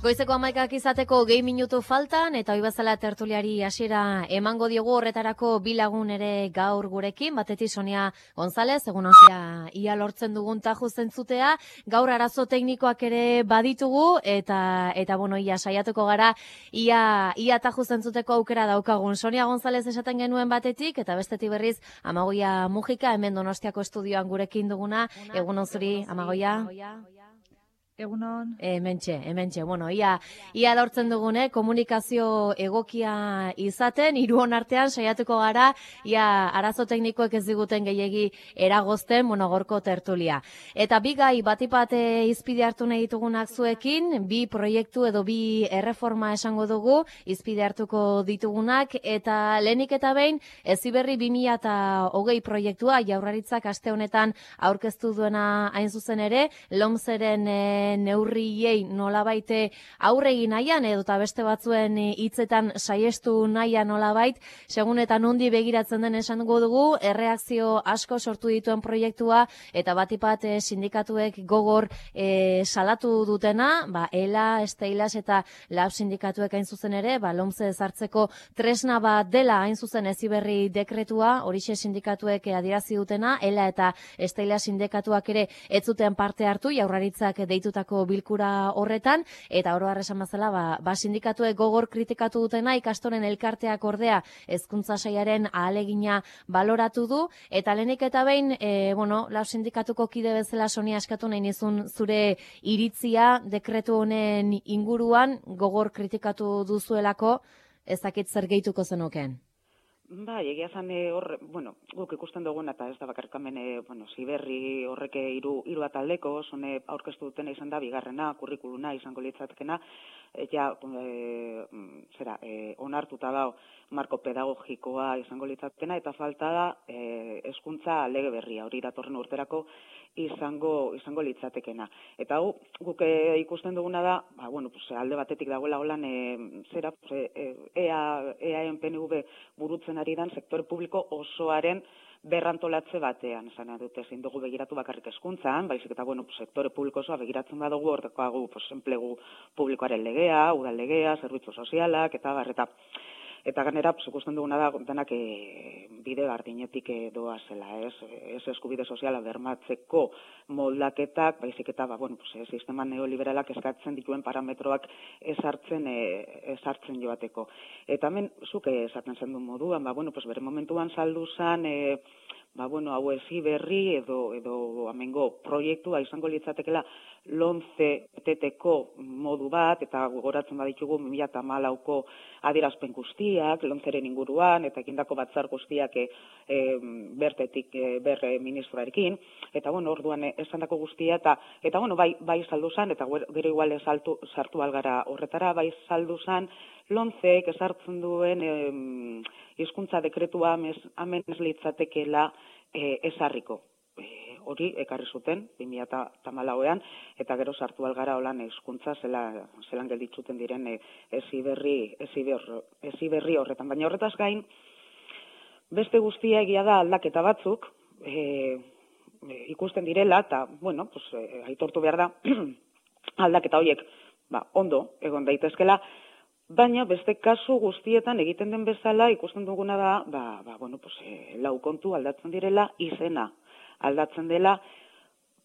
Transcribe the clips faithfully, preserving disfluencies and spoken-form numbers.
Goizeko hamaikak izateko gehi minutu faltan, eta hoi bezala tertuliari hasiera emango diogu horretarako bi lagun ere gaur gurekin, batetik Sonia González, egun onzea ia lortzen dugun taju zentzutea, gaur arazo teknikoak ere baditugu, eta, eta bueno, ia saiatuko gara, ia, ia taju zentzuteko aukera daukagun. Sonia González esaten genuen batetik, eta bestetik berriz Amagoia Mujika, hemen Donostiako estudioan gurekin duguna, egun onzuri, Amagoia. Egunon. Hementxe, hementxe. Bueno, ia, ia lortzen dugune, komunikazio egokia izaten, hiruon artean saiatuko gara, ia arazo teknikoek ez diguten gehiegi eragozten, bueno, gorko tertulia. Eta bi gai batipat izpide hartu nahi ditugunak zuekin, bi proiektu edo bi erreforma esango dugu, izpide hartuko ditugunak, eta lehenik eta behin, Heziberri bi mila hogei proiektua, Jaurlaritzak aste honetan aurkeztu duena hain zuzen ere, lomzeren neurriei nolabaite aurregi nahian edo eta beste batzuen hitzetan saiestu nahian nolabait, segun eta nondi begiratzen den esango dugu, erreakzio asko sortu dituen proiektua eta batipat e, sindikatuek gogor e, salatu dutena, ba, ELA, Steilas eta Lab sindikatuek hain zuzen ere, ba, lomze ezartzeko tresna bat dela hain zuzen Heziberri dekretua, horixe sindikatuek adierazi dutena, ELA eta Steilas sindikatuak ere ez zuten parte hartu, Jaurlaritzak deitu bilkura horretan, eta oro har esan bezala, ba, ba sindikatuek gogor kritikatu dutena, ikastoren elkarteak ordea hezkuntza sailaren ahalegina baloratu du, eta lehenik eta behin, e, bueno, Lab sindikatuko kide bezala Sonia eskatu nahi nizun zure iritzia dekretu honen inguruan gogor kritikatu duzuelako, ez dakit zer gehituko zenukeen. Bai, egia zan hor, bueno, guk ikusten duguna eta ez da bakarrik hemen, bueno, Heziberri horrek hiru hiru ataldeko, zone aurkeztu dutena izan da bigarrena, kurrikuluna izango litzatekena, ja, e, zera, e, onartuta dago marko pedagogikoa izango litzatekena, eta falta da e, hezkuntza lege berria, hori datorren urterako izango izango litzatekena. Eta hau, guk e, ikusten duguna da, ba, bueno, pues, alde batetik dagoela holan, e, zera, pues, e, EA, EAen P N V burutzen ari dan sektore publiko osoaren berrantolatze batean, esan dute ezin dugu begiratu bakarrik hezkuntzan, baizik eta bueno, pues, sektore publiko osoa begiratzen badugu, horrekoagu pues, enplegu publikoaren legea, udal legea, zerbitzu sozialak, eta barreta. Eta ganera, pues, ikusten duguna da, denak e, bide bardinetik e, doa zela, ez, ez eskubide soziala bermatzeko moldaketak, baizik eta, ba, bueno, pues, e, sistema neoliberalak eskatzen dituen parametroak ezartzen, e, ezartzen joateko. Eta hemen, zuke esaten zen duen moduan, ba, bueno, pues, bere momentuan saldu zen, e, ba, bueno, hau Heziberri edo, edo amengo proiektua izango litzatekela lomze teteko modu bat, eta gogoratzen baditugu bi mila hamalauko adierazpen guztiak, lomzeren inguruan, eta egindako batzar guztiak e, e, bertetik e, berre ministroarekin, eta bueno, orduan esandako guztia, eta, eta bueno, bai, bai saldu zan, eta gero igual saltu, sartu algara horretara, bai saldu zan, lomzek esartzen duen e, hizkuntza dekretua hemen ez litzatekela e, ezarriko. E, hori ekarri zuten bi mila hamalauean, eta gero sartu algara holan hizkuntza zela, zelan gelditzuten diren e, Heziberri, Heziberri horretan. Baina horretaz gain, beste guztia egia da aldaketa batzuk, e, e, ikusten direla, eta, bueno, pues, e, aitortu behar da, aldaketa horiek, ba, ondo, egon daitezkela, baina beste kasu guztietan egiten den bezala ikusten duguna da, ba, ba, bueno, pues, e, lau kontu aldatzen direla, izena aldatzen dela,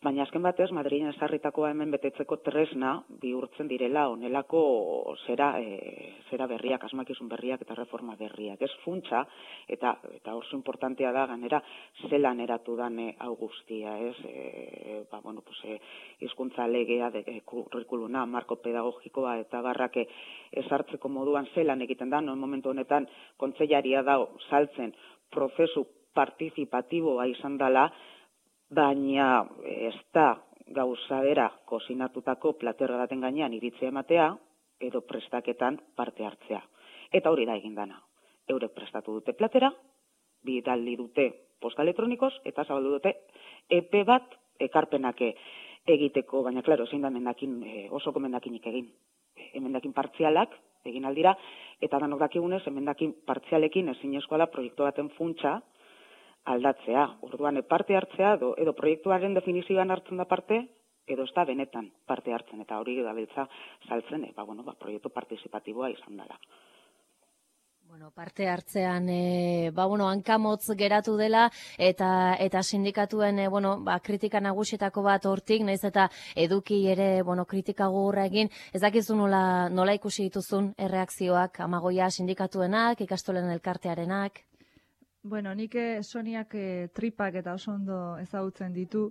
baina azken batez, Madrilen ezarritakoa hemen betetzeko tresna bihurtzen direla honelako zera, e, zera berriak, asmakizun berriak eta reforma berriak. Ez funtsa, eta, eta oso importantea da, ganera, zelan eratu dan e, hau guztia, ez? E, ba, bueno, pues, e, hizkuntza legea, de, e, kurrikuluna, marko pedagogikoa eta barrak ezartzeko moduan zelan egiten da, no momentu honetan kontseilaria da saltzen prozesu partizipatiboa izan dela, baina ez da gauza bera kozinatutako platerra baten gainean iritzia ematea edo prestaketan parte hartzea. Eta hori da egin dana. Eurek prestatu dute platera, bidali dute posta elektronikoz, eta zabaldu dute epe bat ekarpenak egiteko, baina klaro, zein da mendakin, osoko mendakinik egin. Emendakin partzialak egin aldira, eta danok dakigunez, emendakin partzialekin ezinezkoa da proiektu baten funtsa aldatzea. Orduan, parte hartzea, edo, edo proiektuaren definizioan hartzen da parte, edo ez da benetan parte hartzen, eta hori gabiltza saltzen, e, ba, bueno, ba, proiektu partizipatiboa izan dela. Bueno, parte hartzean, e, ba, bueno, hankamotz geratu dela, eta eta sindikatuen, e, bueno, ba, kritika nagusietako bat hortik, naiz eta eduki ere, bueno, kritika gogorra egin, ez dakizu nola, nola ikusi dituzun erreakzioak, Amagoia sindikatuenak, ikastolen elkartearenak? Bueno, nik eh, Soniak eh, tripak eta oso ondo ezagutzen ditu,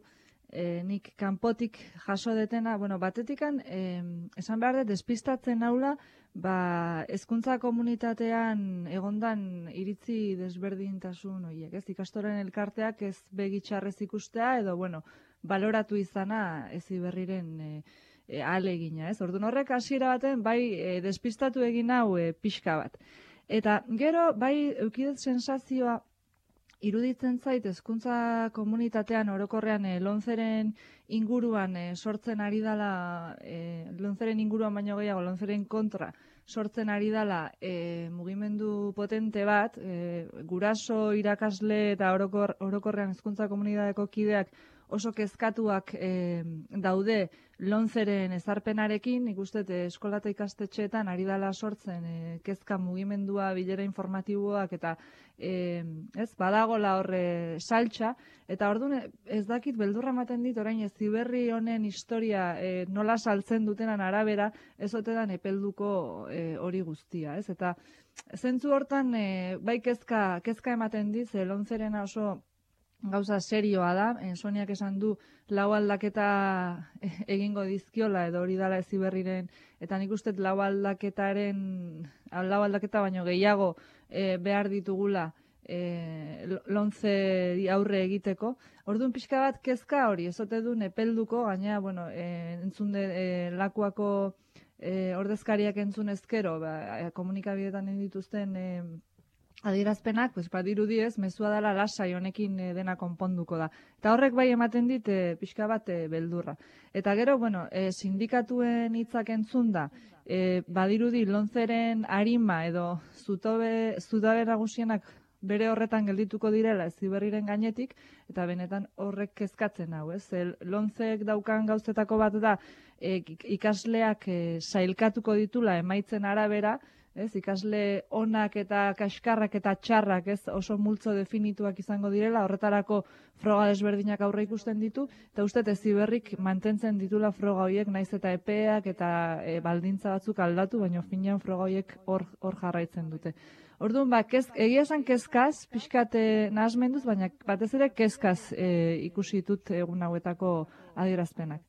eh, nik kanpotik jaso detena, bueno, batetikan, eh, esan behar dut, despistatzen naula, ba, hezkuntza komunitatean egondan iritzi desberdintasun horiek, ez? Ikastoren elkarteak ez begitxarrez ikustea, edo, bueno, baloratu izana Heziberriren e, e, ahalegina, ez? Orduan horrek hasiera baten, bai, e, despistatu egin hau e, pixka bat. Eta gero, bai, eukidet sensazioa, iruditzen zait, hezkuntza komunitatean orokorrean e, lonzeren inguruan e, sortzen ari dala, e, lonzeren inguruan baino gehiago, lonzeren kontra sortzen ari dala e, mugimendu potente bat, e, guraso, irakasle eta orokor, orokorrean hezkuntza komunitateko kideak oso kezkatuak e, daude lonzeren ezarpenarekin, nik uste eskola eta ikastetxeetan ari dala sortzen e, kezka mugimendua, bilera informatiboak eta e, ez badagola horre saltxa, eta orduan ez dakit beldurra ematen dit orain Heziberri honen historia e, nola saltzen dutenan arabera ez otedan epelduko e, hori guztia, ez? Eta zentzu hortan e, bai kezka, kezka ematen dit, ze lonzerena oso gauza serioa da, e, Soniak esan du lau aldaketa egingo dizkiola edo hori dala Heziberriren, eta nik uste lau aldaketaren, lau aldaketa baino gehiago e, behar ditugula e, lonze aurre egiteko. Orduan pixka bat kezka hori, ezote du epelduko, gaina, bueno, e, entzun de, e, lakuako e, ordezkariak entzun ezkero, ba, komunikabidetan dituzten e, adierazpenak, pues, badirudi ez, mezua dela lasai honekin e, dena konponduko da. Eta horrek bai ematen dit e, pixka bat e, beldurra. Eta gero, bueno, e, sindikatuen hitzak entzun da, e, badirudi lonzeren arima edo zutabe, zutabe nagusienak bere horretan geldituko direla Heziberriren gainetik, eta benetan horrek kezkatzen hau, ez? El, lonzek daukan gauzetako bat da, e, ikasleak e, sailkatuko ditula emaitzen arabera, ez, ikasle onak eta kaskarrak eta txarrak, ez, oso multzo definituak izango direla, horretarako froga desberdinak aurre ikusten ditu, eta uste Heziberrik mantentzen ditula froga horiek, naiz eta epeak eta e, baldintza batzuk aldatu, baina finean froga horiek hor, hor jarraitzen dute. Orduan, ba, kez, egia esan kezkaz, pixkate nahasmenduz, baina batez ere kezkaz e, ikusi ditut egun hauetako adierazpenak.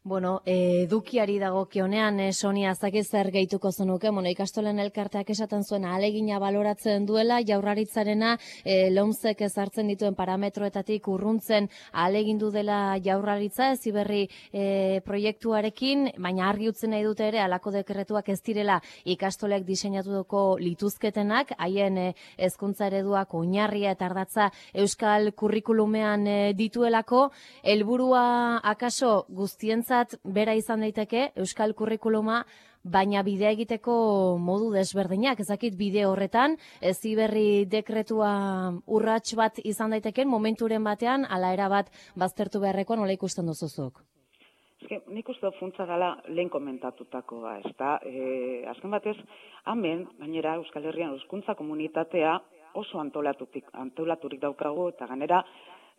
Bueno, edukiari dagokionean, eh, Sonia, zakiz zer gehituko zenuke, bueno, ikastolen elkarteak esaten zuen ahalegina baloratzen duela, jaurlaritzarena eh, lomzek ezartzen dituen parametroetatik urruntzen ahalegindu dela jaurlaritza, Heziberri eh, proiektuarekin, baina argi utzi nahi dute ere, halako dekretuak ez direla ikastolek diseinatuko lituzketenak, haien eh, hezkuntza ereduak oinarria eta ardatza euskal kurrikulumean eh, dituelako, helburua akaso guztien bera izan daiteke euskal kurrikuluma, baina bidea egiteko modu desberdinak. Ezakit bide horretan, Heziberri dekretua urrats bat izan daiteken momenturen batean, ala era bat baztertu beharrekoa nola ikusten duzuzuk? Eske, nik uste funtza gala lehen komentatutakoa, ez da, e, azken batez, hemen, gainera Euskal Herrian hezkuntza komunitatea oso antolatutik, antolaturik daukagu, eta ganera,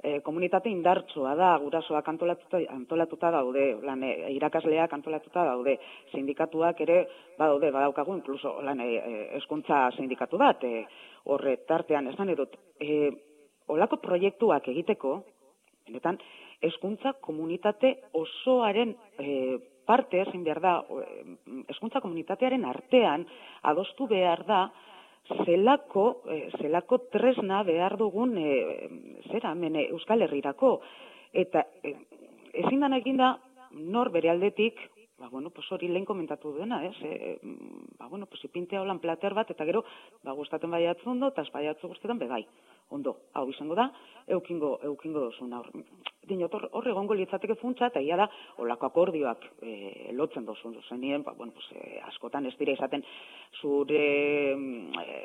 E, komunitate indartsua da, gurasoak antolatuta, antolatuta daude, lan, e, irakasleak antolatuta daude, sindikatuak ere badaude, badaukagu, inkluso lan, hezkuntza e, sindikatu bat, e, horre tartean esan edut, e, olako proiektuak egiteko, benetan, hezkuntza komunitate osoaren e, parte, zein behar da, hezkuntza komunitatearen artean adostu behar da, zelako, eh, zelako tresna behar dugun eh, zera, hemen Euskal Herrirako. Eta eh, ezin dan egin da, nor bere aldetik, ba, bueno, pues hori lehen komentatu duena, ez? E, ba, bueno, pues ipintea holan plater bat, eta gero, ba, gustaten baiatzu ondo, eta espaiatzu guztetan bebai. Ondo, hau izango da, eukingo, eukingo dozun. Dinot, hor egongo litzateke funtsa, eta ia da, olako akordioak e, lotzen dozun. Zenien, ba, bueno, pues, e, askotan ez dira izaten zure e,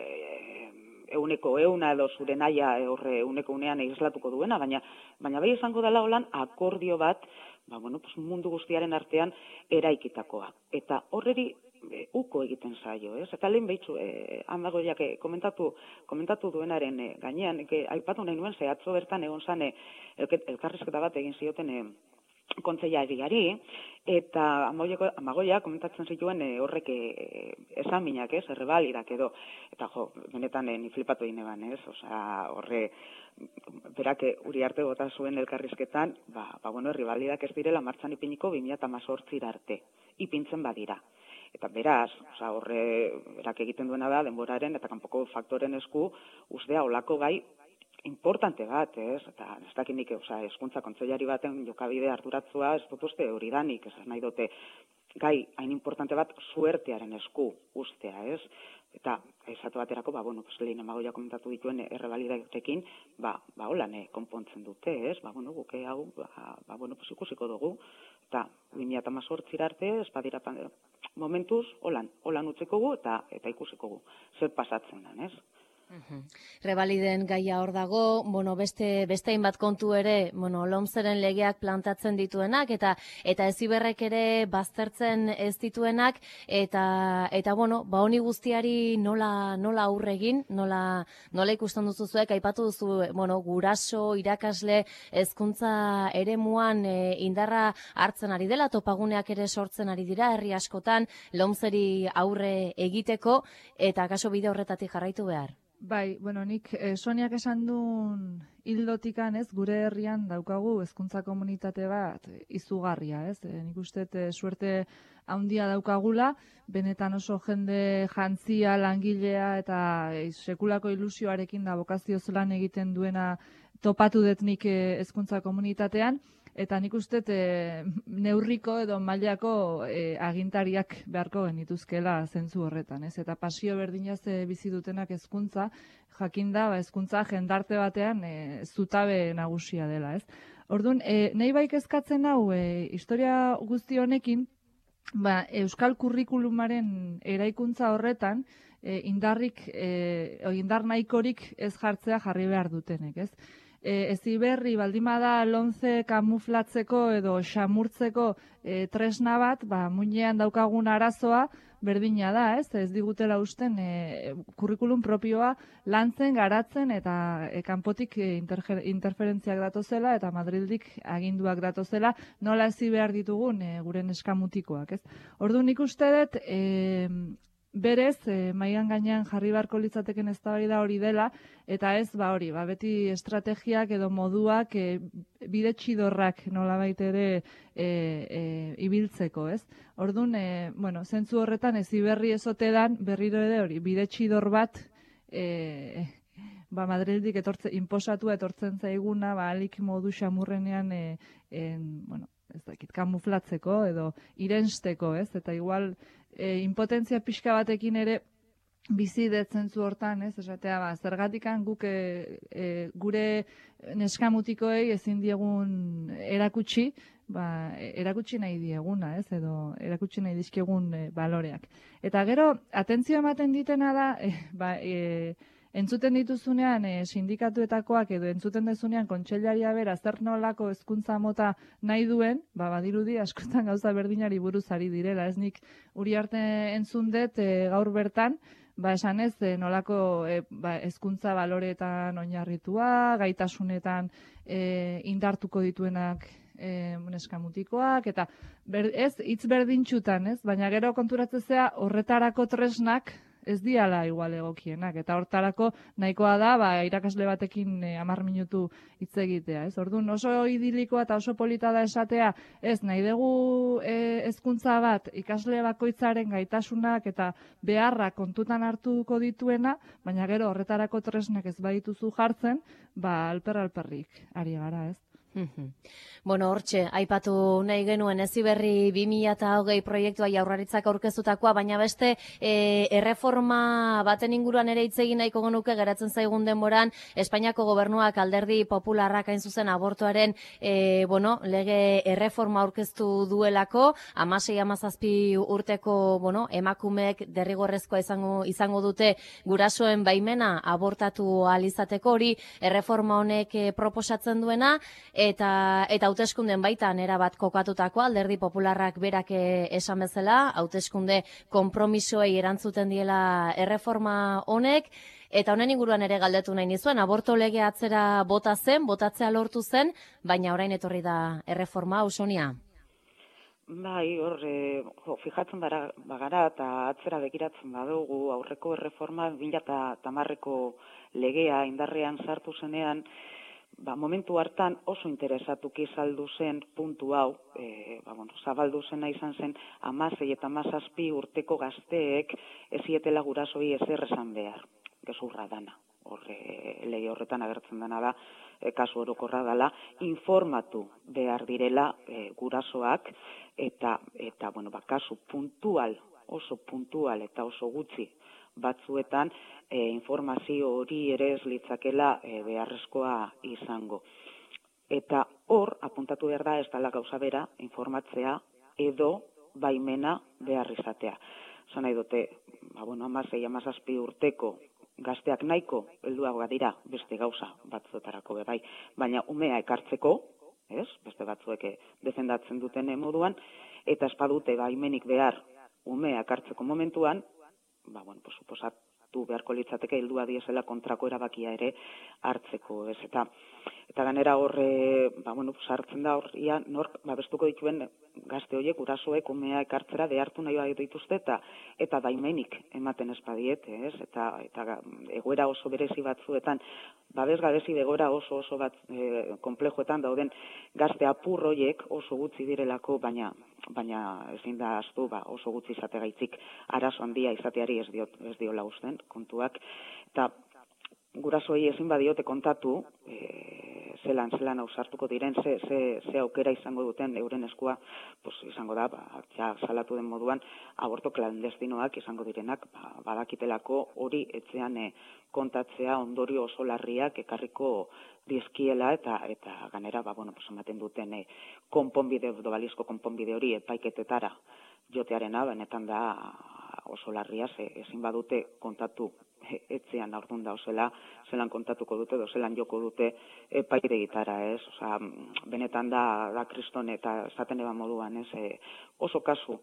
euneko euna edo zure naia horre euneko unean eislatuko duena, baina, baina bai izango dela holan akordio bat, ba, bueno, pues mundu guztiaren artean eraikitakoa. Eta horreri e, uko egiten zaio, ez? Eta lehen behitzu, e, Amagoiak e, komentatu, komentatu duenaren e, gainean, e, aipatu nahi nuen, ze atzo bertan egon zane elkarrizketa bat egin zioten e, kontseilariari, eta Amagoia komentatzen zituen e, horrek e, esaminak, ez, errebalidak edo, eta jo, benetan e, ni flipatu egin eban, ez, osea, horre, berak Uriarte bota zuen elkarrizketan, ba, ba bueno, errebalidak ez direla martxan ipiniko bi mila hemezortzira arte, ipintzen badira. Eta beraz, osea, horre, berak egiten duena da, denboraren eta kanpoko faktoren esku, ustea olako gai, importante bat, ez? Eta ez dakinik, osea, hezkuntza kontseilari baten jokabide arduratzua, ez dut uste hori danik, ez nahi dute gai hain importante bat suertearen esku ustea, ez? Eta esatu baterako, ba, bueno, pues, lehen Amagoia komentatu dituen errebalidatekin, ba, ba, holan konpontzen dute, ez? Ba, bueno, guke hau, ba, ba bueno, pues, ikusiko dugu, eta bi mila hemezortzira arte, ez badira momentuz, holan, holan utziko gu, eta, eta ikusiko gu, zer pasatzen den, ez? Uhum. Rebaliden gaia hor dago, bueno, beste beste hainbat kontu ere, bueno, Lomceren legeak plantatzen dituenak eta eta Heziberrek ere baztertzen ez dituenak eta eta bueno, ba honi guztiari nola nola aurre egin, nola nola ikusten duzu zuek aipatu duzu, bueno, guraso, irakasle, hezkuntza eremuan e, indarra hartzen ari dela, topaguneak ere sortzen ari dira herri askotan Lomceri aurre egiteko eta kaso bide horretatik jarraitu behar. Bai, bueno, nik eh, Soniak esan duen hildotikan, ez, gure herrian daukagu hezkuntza komunitate bat izugarria, ez? E, nik uste e, suerte handia daukagula, benetan oso jende jantzia, langilea eta e, sekulako ilusioarekin da bokazioz lan egiten duena topatu dut nik hezkuntza komunitatean. Eta nik uste e, neurriko edo mailako e, agintariak beharko genituzkela zentzu horretan, ez? Eta pasio berdinaz e, bizi dutenak hezkuntza, jakinda, ba, hezkuntza jendarte batean e, zutabe nagusia dela, ez? Orduan, e, nahi baik eskatzen hau, e, historia guzti honekin, ba, euskal kurrikulumaren eraikuntza horretan, e, indarrik, e, indar nahikorik ez jartzea jarri behar dutenek, ez? E, Heziberri baldimada Lomce kamuflatzeko edo xamurtzeko e, tresna bat, ba, muinean daukagun arazoa berdina da, ez? Ez digutela usten e, kurrikulum propioa lantzen, garatzen eta e, kanpotik e, interferentziak datozela eta Madrildik aginduak datozela nola ezi behar ditugun e, gure neskamutikoak, ez? Orduan nik uste dut, e, berez, e, maigan gainean jarri beharko litzateken eztabaida hori dela, eta ez, ba hori, ba beti estrategiak edo moduak e, bide txidorrak nolabait ere e, e, ibiltzeko, ez? Orduan, e, bueno, zentzu horretan Heziberri ezote dan berriro ere hori, bide txidor bat e, ba Madrildik etortze, inposatua etortzen zaiguna, ba alik modu xamurrenean e, en, bueno, ez dakit, kamuflatzeko edo irensteko, ez? Eta igual E, impotentzia pixka batekin ere bizi detzentzu hortan, ez? Esatea, ba, zergatikan guk e, e, gure neskamutikoei ezin diegun erakutsi, ba, erakutsi nahi dieguna, ez? Edo erakutsi nahi dizkegun e, baloreak. Eta gero, atentzio ematen ditena da, e, ba, e, entzuten dituzunean e, sindikatuetakoak edo entzuten dezunean kontseilaria bera zer nolako hezkuntza mota nahi duen, ba badirudi askotan gauza berdinari buruz ari direla, ez nik Uriarte entzun dut e, gaur bertan, ba esan ez e, nolako e, ba, hezkuntza baloreetan oinarritua, gaitasunetan e, indartuko dituenak e, neskamutikoak, eta ber, ez hitz berdintxutan, ez, baina gero konturatzea horretarako tresnak ez diala igual egokienak, eta hortarako nahikoa da, ba, irakasle batekin e, hamar minutu hitz egitea, ez? Orduan oso idilikoa eta oso polita da esatea, ez, nahi dugu hezkuntza bat ikasle bakoitzaren gaitasunak eta beharrak kontutan hartuko dituena, baina gero horretarako tresnak ez badituzu jartzen, ba, alper-alperrik ari gara, ez? Bueno, hortxe, aipatu nahi genuen Heziberri bi mila hogei proiektua Jaurlaritzak aurkeztutakoa, baina beste e, erreforma baten inguruan ere hitz egin nahiko genuke geratzen zaigun denboran, Espainiako gobernuak Alderdi Popularrak hain zuzen abortuaren e, bueno, lege erreforma aurkeztu duelako, hamasei hamazazpi urteko bueno, emakumeek derrigorrezkoa izango, izango dute gurasoen baimena abortatu ahal izateko, hori erreforma honek e, proposatzen duena, eta eta hauteskunden baitan erabat kokatutako Alderdi Popularrak berak esan bezala, hauteskunde konpromisoei erantzuten diela erreforma honek, eta honen inguruan ere galdetu nahi nizuen, aborto lege atzera bota zen, botatzea lortu zen, baina orain etorri da erreforma, Ausonia. Bai, hor, e, jo, fijatzen bara, bagara eta atzera begiratzen badugu aurreko erreforma bi mila hamareko legea indarrean sartu zenean, ba, momentu hartan oso interesatuki saldu zen puntu hau, e, ba, bueno, zabaldu zena izan zen hamasei eta hamazazpi urteko gazteek ezietela gurasoi ezer esan behar, gezurra dana. Horre, lege horretan agertzen dena da, e, kasu orokorra dela, informatu behar direla e, gurasoak, eta, eta bueno, ba, kasu puntual, oso puntual eta oso gutxi batzuetan e, informazio hori ere ez litzakela e, beharrezkoa izango. Eta hor, apuntatu behar da ez dela gauza bera, informatzea edo baimena behar izatea. Zan nahi dute, ba, bueno, hamasei, hamazazpi urteko gazteak nahiko helduagoa dira beste gauza batzuetarako bai, baina umea ekartzeko, ez? Beste batzuek defendatzen duten moduan, eta espadute baimenik behar umea ekartzeko momentuan, ba, bueno, pues, suposatu beharko litzateke heldua diesela kontrako erabakia ere hartzeko, ez? Eta, eta ganera horre, ba, bueno, sartzen da horria, nork babestuko dituen gazte horiek, gurasoek umea ekartzera behartu nahi bat dituzte, eta, eta baimenik ematen espadiete, ez? Eta, eta egoera oso berezi batzuetan, babes gabezi egoera oso oso bat e, konplejoetan dauden gazte apur horiek oso gutxi direlako, baina baina ezin da ahaztu, ba, oso gutxi izategaitzik arazo handia izateari ez diot ez diola uzten kontuak, eta gurasoei ezin badiote kontatu e, zelan zelan ausartuko diren, ze, ze, ze aukera izango duten euren eskua, pues, izango da, ba, ja, salatu den moduan, aborto klandestinoak izango direnak, ba, badakitelako hori etxean e, kontatzea ondorio oso larriak ekarriko dizkiela, eta eta ganera, ba, bueno, pues, ematen duten e, konponbide, dobalizko konponbide hori epaiketetara jotearena, benetan da oso larria, ze, ezin badute kontatu etzean aurdun da, ozela, zelan kontatuko dute, edo zelan joko dute epaitegitara, ez? Osa, benetan da, da kriston eta esaten eba moduan, ez? E, oso kasu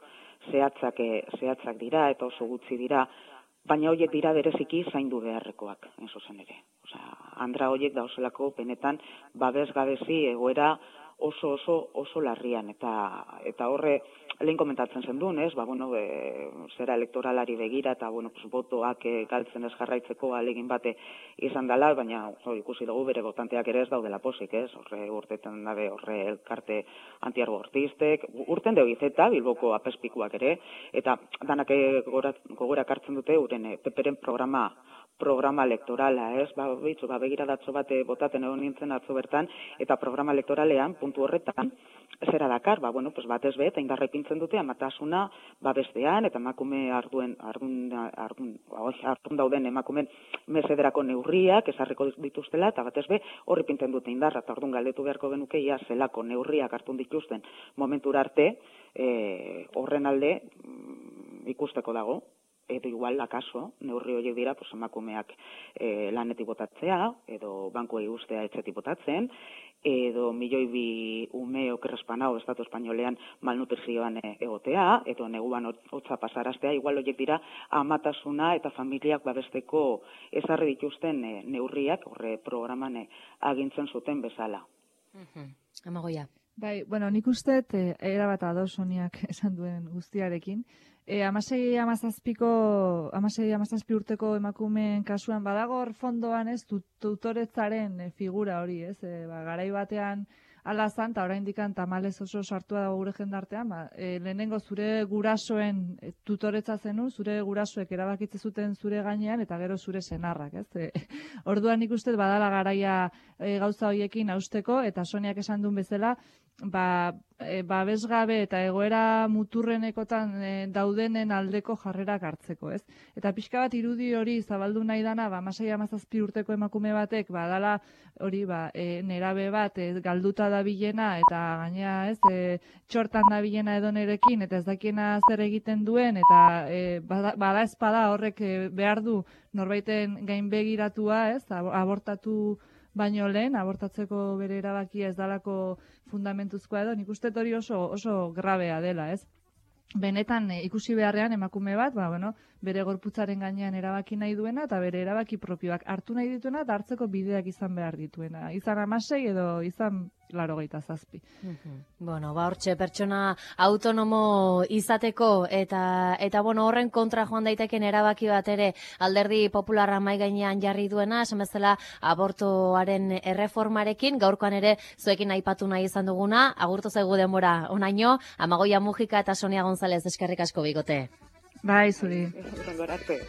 zehatzak, e, zehatzak dira eta oso gutxi dira, baina horiek dira bereziki zaindu beharrekoak, en zuzen ere. Osa, andra horiek da oselako benetan babes gabezi egoera oso oso oso larrian, eta eta horre lehen komentatzen zen duen, ez? Ba, bueno, e, zera elektoralari begira eta, bueno, pues, botoak e, galtzen ez jarraitzeko alegin bate izan dela, baina jo, ikusi dugu bere botanteak ere ez daudela posik, ez? Horre urtetan dabe horre elkarte antiabortistek, urten deu izeta, Bilboko apespikuak ere, eta danak gogora kartzen dute uren peperen programa programa elektorala, ez? Ba, bitzu, ba, begiradatzo bate botaten egon nintzen atzo bertan, eta programa elektoralean, puntu horretan, zera dakar, ba, bueno, pues batez be, eta indarra ipintzen dute, amatasuna, ba, bestean, eta emakume arduen, ardun, ardun, ardun dauden emakumen mesederako neurriak, ezarriko dituztela, eta batez be, horri pinten dute indarra, eta ardun galdetu beharko genuke, ia zelako neurriak hartun dituzten momentura arte, e, horren alde ikusteko dago, edo igual, akaso, neurri horiek dira, pues, emakumeak e, lanetik botatzea, edo bankuei ustea etxetik botatzen, edo milioi bi ume okerrespanao Estatu Espainolean malnutrizioan e, egotea, edo neguan hotza pasaraztea, igual horiek dira amatasuna eta familiak babesteko ezarri dituzten e, neurriak, horre programan e, agintzen zuten bezala. Uh-huh. Amagoia. Bai, bueno, nik uste, e, erabat ados Soniak esan duen guztiarekin. E, amasei amazazpiko, amasei amazazpi urteko emakumeen kasuan badagor fondoan, ez, tutoretzaren e, figura hori, ez, e, ba, garai batean ala zan, eta orain dikan tamalez oso sartua dago gure jendartean, ba, e, lehenengo zure gurasoen e, tutoretza zenu, zure gurasoek erabakitze zuten zure gainean, eta gero zure senarrak, ez. E, orduan nik uste badala garaia e, gauza horiekin hausteko, eta Soniak esan duen bezala, ba, e, babesgabe eta egoera muturrenekotan e, daudenen aldeko jarrerak hartzeko, ez? Eta pixka bat irudi hori zabaldu nahi dana, ba, amasei hamazazpi urteko emakume batek, badala hori, ba, e, nerabe bat e, galduta dabilena, eta gainea, ez, e, txortan dabilena edonerekin, eta ez dakiena zer egiten duen, eta e, bada, bada espada horrek e, behar du norbaiten gainbegiratua, ez, abortatu baino lehen, abortatzeko bere erabakia ez dalako fundamentuzkoa edo, nik uste hori oso, oso grabea dela, ez? Benetan e, ikusi beharrean emakume bat, ba, bueno, bere gorputzaren gainean erabaki nahi duena eta bere erabaki propioak hartu nahi dituena eta hartzeko bideak izan behar dituena. Izan amasei edo izan laurogeita zazpi. Bueno, ba hortxe pertsona autonomo izateko eta eta bueno, horren kontra joan daiteken erabaki bat ere Alderdi Popularra mai gainean jarri duena, esan bezala abortoaren erreformarekin, gaurkoan ere zuekin aipatu nahi izan duguna, agurtu zaigu denbora onaino, Amagoia Mujika eta Sonia González eskerrik asko bigote. Bai, zuri. Urrengora arte.